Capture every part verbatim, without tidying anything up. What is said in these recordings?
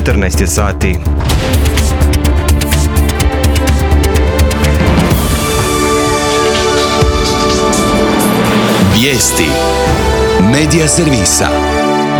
četrnaest je sati. Vijesti Medija servisa.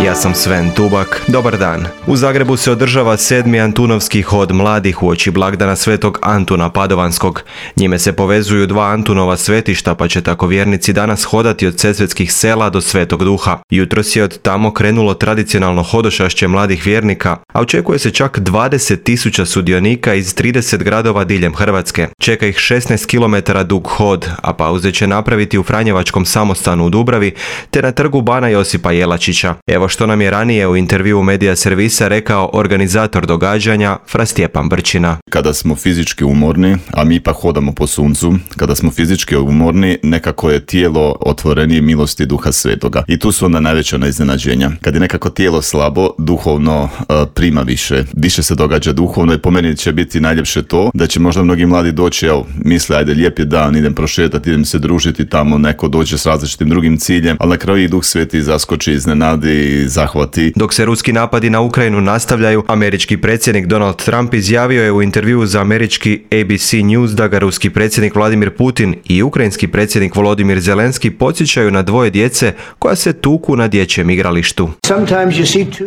Ja sam Sven Tubak, dobar dan. U Zagrebu se održava sedmi Antunovski hod mladih uoči blagdana Svetog Antuna Padovanskog. Njime se povezuju dva Antunova svetišta, pa će tako vjernici danas hodati od Sesvetskih sela do Svetog Duha. Jutros je od tamo krenulo tradicionalno hodošašće mladih vjernika, a očekuje se čak dvadeset tisuća sudionika iz trideset gradova diljem Hrvatske. Čeka ih šesnaest kilometara dug hod, a pauze će napraviti u Franjevačkom samostanu u Dubravi te na trgu Bana Josipa Jelačića. Evo što nam je ranije u intervjuu Medija servisa rekao organizator događanja Fra Stjepan Brčina. Kada smo fizički umorni, a mi ipak hodamo po suncu, kada smo fizički umorni, nekako je tijelo otvorenije milosti Duha Svetoga. I tu su onda najveća iznenađenja. Kad je nekako tijelo slabo, duhovno uh, prima više. Više se događa duhovno i po meni će biti najljepše to da će možda mnogi mladi doći, evo, misle, ajde, lijep je dan, idem prošetati, idem se družiti tamo, neko dođe s različitim drugim ciljem, ali na kraju i Duh Sveti zaskoči, iznenadi, zahvati. Dok se ruski napadi na Ukrajinu nastavljaju, američki predsjednik Donald Trump izjavio je u intervjuu za američki A B C News da ga ruski predsjednik Vladimir Putin i ukrajinski predsjednik Volodimir Zelenski podsjećaju na dvoje djece koja se tuku na dječjem igralištu.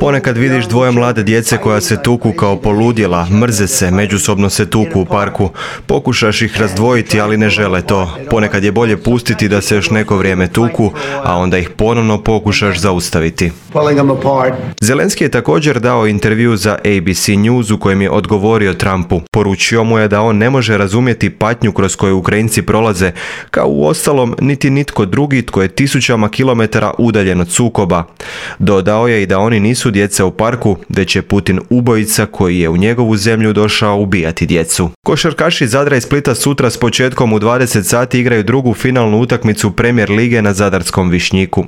Ponekad vidiš dvoje mlade djece koja se tuku kao poludjela, mrze se, međusobno se tuku u parku. Pokušaš ih razdvojiti, ali ne žele to. Ponekad je bolje pustiti da se još neko vrijeme tuku, a onda ih ponovno pokušaš zaustaviti. Zelenski je također dao intervju za A B C News u kojem je odgovorio Trumpu. Poručio mu je da on ne može razumjeti patnju kroz koju Ukrajinci prolaze, kao u ostalom niti nitko drugi tko je tisućama kilometara udaljen od sukoba. Dodao je i da oni nisu djeca u parku, već je Putin ubojica koji je u njegovu zemlju došao ubijati djecu. Košarkaši Zadra i Splita sutra s početkom u dvadeset sati igraju drugu finalnu utakmicu Premier lige na zadarskom Višnjiku.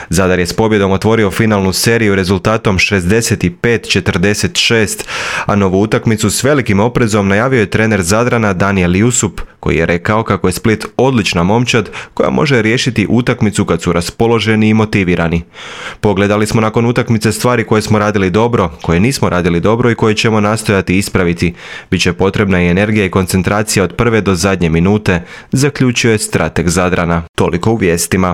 Zadar je s pobjedom otvorio finalnu seriju rezultatom šezdeset pet četrdeset šest, a novu utakmicu s velikim oprezom najavio je trener Zadrana Danijel Jusup, koji je rekao kako je Split odlična momčad koja može riješiti utakmicu kad su raspoloženi i motivirani. Pogledali smo nakon utakmice stvari koje smo radili dobro, koje nismo radili dobro i koje ćemo nastojati ispraviti. Biće potrebna i energija i koncentracija od prve do zadnje minute, zaključio je strateg Zadrana. Toliko u vijestima.